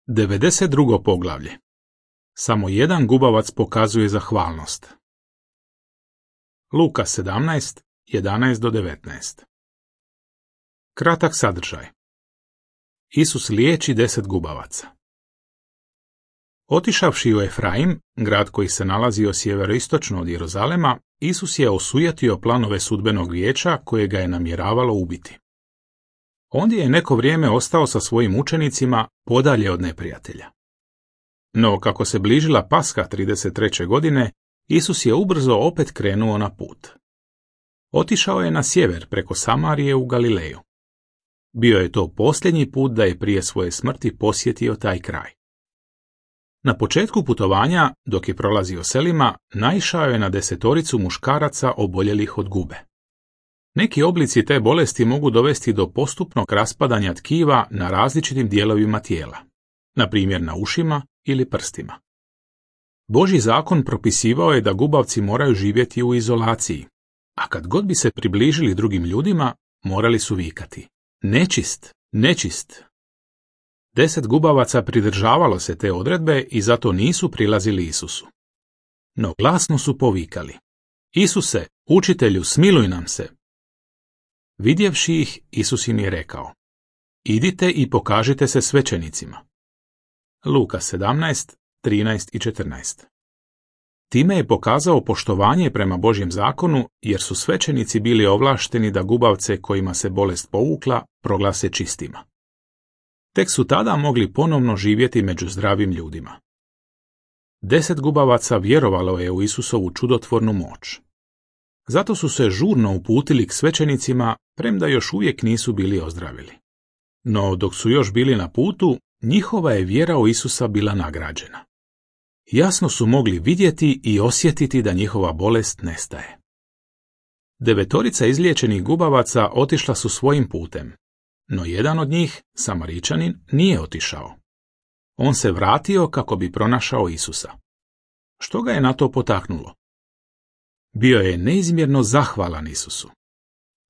92. poglavlje. Samo jedan gubavac pokazuje zahvalnost. Luka 17, 11-19. Kratak sadržaj. Isus liječi 10 gubavaca. Otišavši u Efraim, grad koji se nalazio sjeveroistočno od Jeruzalema, Isus je osujatio planove sudbenog vijeća koje ga je namjeravalo ubiti. Ondje je neko vrijeme ostao sa svojim učenicima podalje od neprijatelja. No, kako se bližila Paska 33. godine, Isus je ubrzo opet krenuo na put. Otišao je na sjever preko Samarije u Galileju. Bio je to posljednji put da je prije svoje smrti posjetio taj kraj. Na početku putovanja, dok je prolazio selima, naišao je na 10 muškaraca oboljelih od gube. Neki oblici te bolesti mogu dovesti do postupnog raspadanja tkiva na različitim dijelovima tijela, na primjer na ušima ili prstima. Božji zakon propisivao je da gubavci moraju živjeti u izolaciji, a kad god bi se približili drugim ljudima, morali su vikati: "Nečist, nečist!" 10 gubavaca pridržavalo se te odredbe i zato nisu prilazili Isusu. No glasno su povikali: "Isuse, učitelju, smiluj nam se!" Vidjevši ih, Isus im je rekao: "Idite i pokažite se svećenicima." Luka 17, 13 i 14. Time je pokazao poštovanje prema Božjem zakonu, jer su svećenici bili ovlašteni da gubavce kojima se bolest povukla proglase čistima. Tek su tada mogli ponovno živjeti među zdravim ljudima. 10 gubavaca vjerovalo je u Isusovu čudotvornu moć. Zato su se žurno uputili k svećenicima, premda još uvijek nisu bili ozdravili. No dok su još bili na putu, njihova je vjera u Isusa bila nagrađena. Jasno su mogli vidjeti i osjetiti da njihova bolest nestaje. 9 izliječenih gubavaca otišla su svojim putem, no jedan od njih, Samaričanin, nije otišao. On se vratio kako bi pronašao Isusa. Što ga je na to potaknulo? Bio je neizmjerno zahvalan Isusu.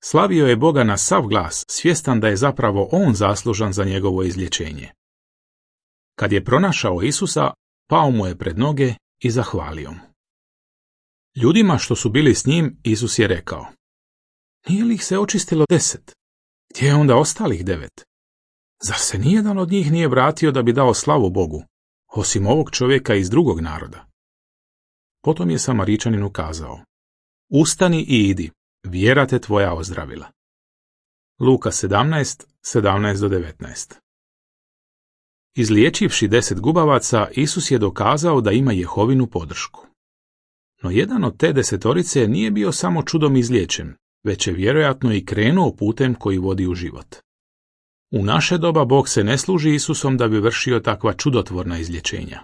Slavio je Boga na sav glas, svjestan da je zapravo on zaslužan za njegovo izlječenje. Kad je pronašao Isusa, pao mu je pred noge i zahvalio mu. Ljudima što su bili s njim, Isus je rekao: "Nije li ih se očistilo 10? Gdje je onda ostalih 9? Zar se nijedan od njih nije vratio da bi dao slavu Bogu, osim ovog čovjeka iz drugog naroda?" Potom je Samaričaninu kazao: "Ustani i idi, vjera te tvoja ozdravila." Luka 17, 17-19. Izliječivši 10 gubavaca, Isus je dokazao da ima Jehovinu podršku. No jedan od te 10 nije bio samo čudom izliječen, već je vjerojatno i krenuo putem koji vodi u život. U naše doba Bog se ne služi Isusom da bi vršio takva čudotvorna izlječenja.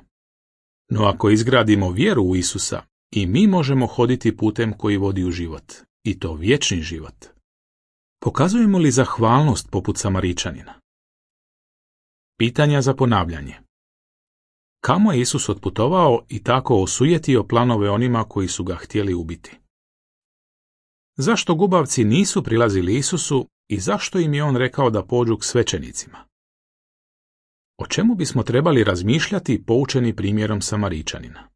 No ako izgradimo vjeru u Isusa, i mi možemo hoditi putem koji vodi u život, i to vječni život. Pokazujemo li zahvalnost poput Samaričanina? Pitanja za ponavljanje. Kamo je Isus otputovao i tako osujetio planove onima koji su ga htjeli ubiti? Zašto gubavci nisu prilazili Isusu i zašto im je on rekao da pođu k svećenicima? O čemu bismo trebali razmišljati poučeni primjerom Samaričanina?